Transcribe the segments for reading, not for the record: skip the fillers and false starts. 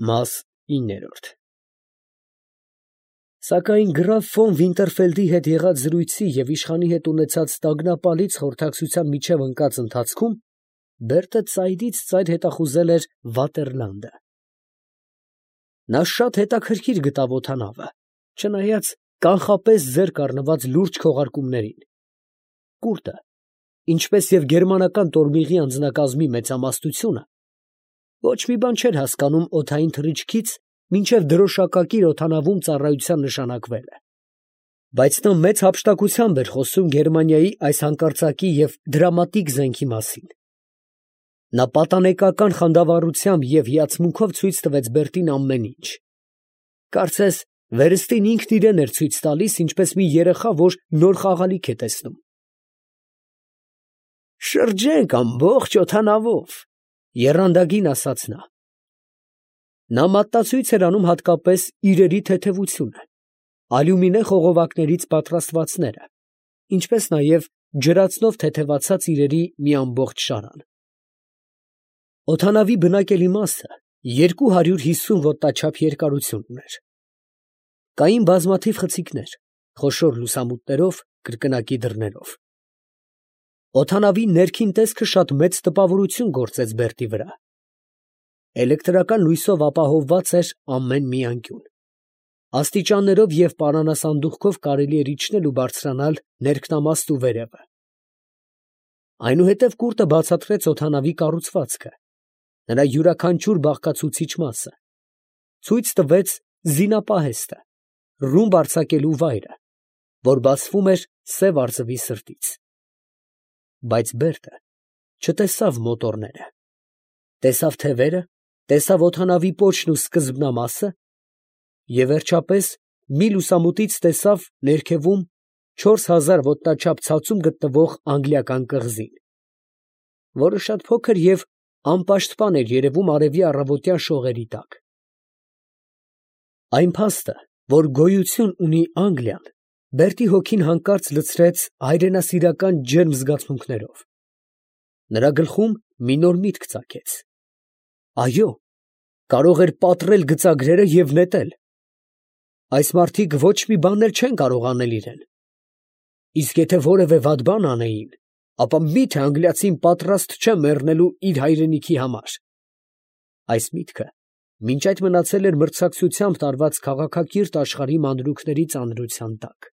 Մաս 9 Սակայն գրաֆ ֆոն Վինտերֆելդի հետ եղած զրույցի և իշխանի հետ ունեցած տագնապալից խորհրդակցության միջև ընկած ընթացքում Բերտը ծայրից ծայր հետախուզել էր Վատերլանդը. նա շատ հետաքրքիր գտավ օդանավը, չնայած կանխապես ձեռք առնված լուրջ քողարկումներին. կուրտը, ինչպես և գերմանական տորմիղի անձնակազմի մեծամասնությունը, ոչ մի բան չէր հասկանում օդային թռիչքից, մինչև դրոշակակիր օդանավում ծառայության նշանակվելը. բայց նա մեծ հափշտակությամբ էր խոսում Գերմանիայի այս հանկարծակի և դրամատիկ զենքի մասին. նա պատանեկական խանդավառությամբ և հիացմունքով ցույց տվեց Բերտին ամեն ինչ. կարծես վերստին ինքն իրան էր ցույց տալիս, ինչպես մի երեխա, որ նոր խաղալիք է տեսնում։ «Շրջենք ամբողջ օդանավով», եռանդագին ասաց նա։ Նա մատնացույց էր անում հատկապես իրերի թեթևությունը, ալյումինե խողովակներից պատրաստվածները, ինչպես նաև ջրածնով թեթևացած իրերի մի ամբողջ շարան։ Օդանավի բնակելի մասը 250 ոտնաչափ երկարություն ուներ։ Կային բազմաթիվ խցիկներ, խոշոր լուսամուտներով, կրկնակի դռներով։ Օդանավի ներքին տեսքը շատ մեծ տպավորություն գործեց Բերտի վրա։ Էլեկտրական լույսով ապահովված էր ամեն մի անկյուն։ Աստիճաններով և պարանասանդուղքով կարելի էր իջնել ու բարձրանալ ներքնամաստ ու վերևը։ Այնուհետև կուրտը բացատրեց օդանավի կառուցվածքը, նրա յուրաքանչյուր բաղկացուցիչ մասը, ցույց տվեց զինապահեստը, ռումբ արձակելու վայրը, որ բացվում էր Սև արծվի սրտից։ Բայց Բերտը չտեսավ մոտորները, տեսավ թևերը, տեսավ օդանավի պոչն ու սկզբնամասը և վերջապես մի լուսամուտից տեսավ ներքևում 4000 ոտնաչափ ցածում գտնվող անգլիական կղզին, որը շատ փոքր և անպաշտպան էր երևում արևի առավոտյան շողերի տակ։ Այն փաստը, որ գոյություն ունի Անգլիան, Բերտի հոգին հանկարծ լցրեց հայրենասիրական ջերմ զգացմունքներով։ Նրա գլխում մի նոր միտք ծագեց. այո, կարող էր պատռել գծագրերը և նետել։ Այս մարդիկ ոչ մի բան էլ չեն կարող անել իրեն։ Իսկ եթե որևէ վատ բան անեին, ապա մի՞թե անգլիացին պատրաստ չէ մեռնելու իր հայրենիքի համար։ Այս միտքը մինչ այդ մնացել էր մրցակցությամբ տարված քաղաքակիրթ աշխարհի մանրուքների ծանրության տակ։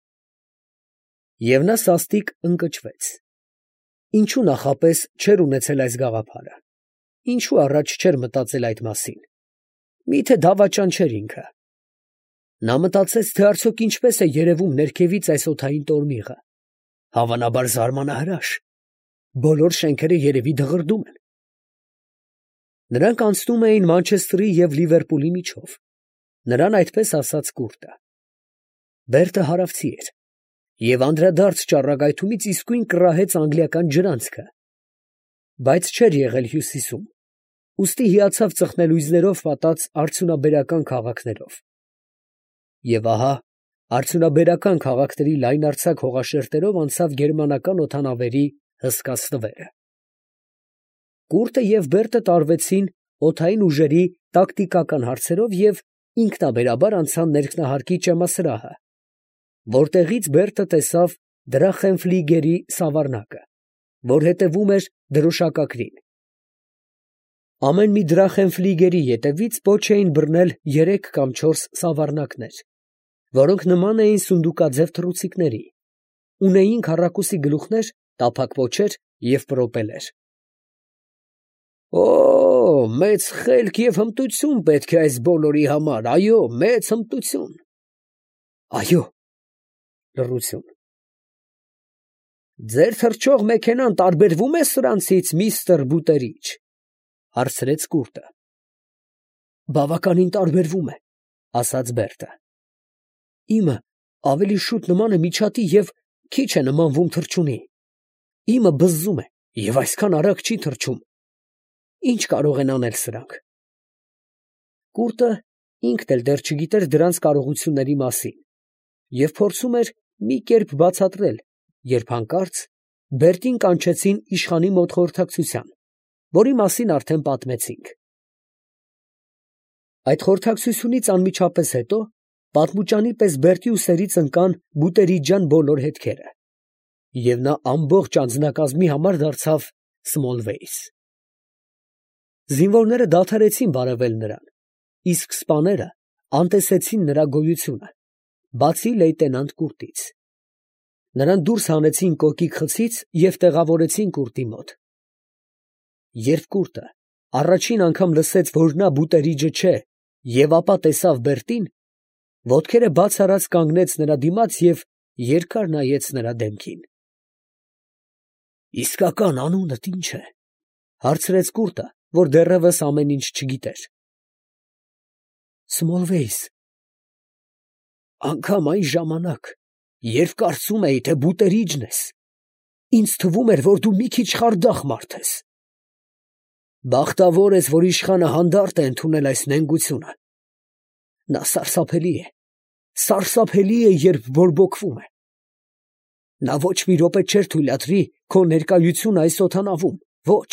Եվ նա սաստիկ ընկճվեց։ Ինչու նախապես չէր ունեցել այս գաղափարը, ինչու առաջ չէր մտածել այդ մասին։ Մի՞թե դավաճան չէր ինքը։ Նա մտածեց, թե արդյոք ինչպես է երևում ներքևից այս օդային տորմիղը։ Հավանաբար զարմանահրաշ։ Բոլոր շենքերը երևի դղրդում են։ Նրանք անցնում էին Մանչեսթերի և Լիվերպուլի միջով, նրան այդպես ասաց կուրտը։ Բերտը հարավցի էր և անդրադարձ ճառագայթումից իսկույն կռահեց անգլիական ջրանցքը, բայց չէր եղել հյուսիսում, ուստի հիացավ ծխնելույզներով պատած արդյունաբերական քաղաքներով։ Եվ ահա արդյունաբերական քաղաքների լայնարձակ հողաշերտերով անցավ գերմանական օդանավերի հսկա ստվերը։ Կուրտը և Բերտը տարվեցին օդային ուժերի տակտիկական հարցերով և ինքնաբերաբար անցան ներքնահարկի ճեմասրահը, որտեղից Բերտը տեսավ Դրախենֆլիգերի սավառնակը, որ հետևում էր դրոշակակրին։ Ամեն մի Դրախենֆլիգերի ետևից պոչ էին բռնել 3 կամ 4 սավառնակներ, որոնք նման էին սունդուկաձև թռուցիկների, ունեին քառակուսի գլուխներ, տափակ պոչեր և պրոպելեր։ «Օ՜, մեծ խելք և հմտություն պետք է այս բոլորի համար, այո, մեծ հմտություն»։ Այո։ Լռություն։ «Ձեր թռչող մեքենան տարբերվում է սրանցից, միստր Բուտերիչ», հարցրեց կուրտը։ «Բավականին տարբերվում է», ասաց Բերտը։ «Իմը ավելի շուտ նման է միջատի և քիչ է նմանվում թռչունի։ Իմը բզզում է և այսքան արագ չի թռչում։ Ի՞նչ կարող են անել սրանք»։ Կուրտը ինքն էլ դեռ չգիտեր դրանց կարողությունների մասին և փորձում էր մի կերպ բացատրել, երբ հանկարծ Բերտին կանչեցին իշխանի մոտ խորհրդակցության, որի մասին արդեն պատմեցինք։ Այդ խորհրդակցությունից անմիջապես հետո պատմուճանի պես Բերտի ուսերից ընկան Բուտերիջյան բոլոր հետքերը, և նա ամբողջ անձնակազմի համար դարձավ Սմոլվեյս։ Զինվորները դադարեցին բարևել նրան, իսկ սպաները անտեսեցին նրա գոյությունը, բացի լեյտենանտ Կուրտից։ Նրան դուրս հանեցին կոկիկ խցից և տեղավորեցին Կուրտի մոտ։ Երբ Կուրտը առաջին անգամ լսեց, որ նա Բուտերիջը չէ, և ապա տեսավ Բերտին, ոտքերը բաց արած կանգնեց նրա դիմաց և երկար նայեց նրա դեմքին։ ֊ Իսկական անունդ ի՞նչ է, ֊ հարցրեց Կուրտը, որ դեռևս ամեն ինչ չգիտեր։ ֊ Սմոլվեյս։ Անգամ այն ժամանակ, երբ կարծում էի, թե Բուտերիջն ես, ինձ թվում էր, որ դու մի քիչ խարդախ մարդ ես. բախտավոր ես, որ իշխանը հանդարտ է ընդունել այս նենգությունը. նա սարսափելի է, երբ բորբոքվում է. նա ոչ մի րոպե չէր թույլատրի քո ներկայությունը այս օդանավում, ոչ.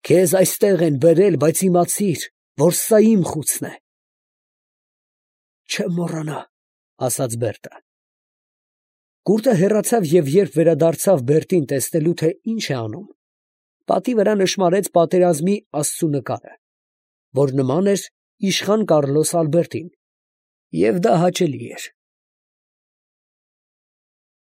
քեզ այստեղ են բերել, բայց իմացիր, որ սա իմ խուցն է։ Չեմ մոռանա, ֊ ասաց Բերտը։ Կուրտը հեռացավ և երբ վերադարձավ Բերտին տեսնելու, թե ինչ է անում, պատի վրա նշմարեց պատերազմի աստծու նկարը, որ նման էր իշխան Կառլոս Ալբերտին, և դա հաճելի էր։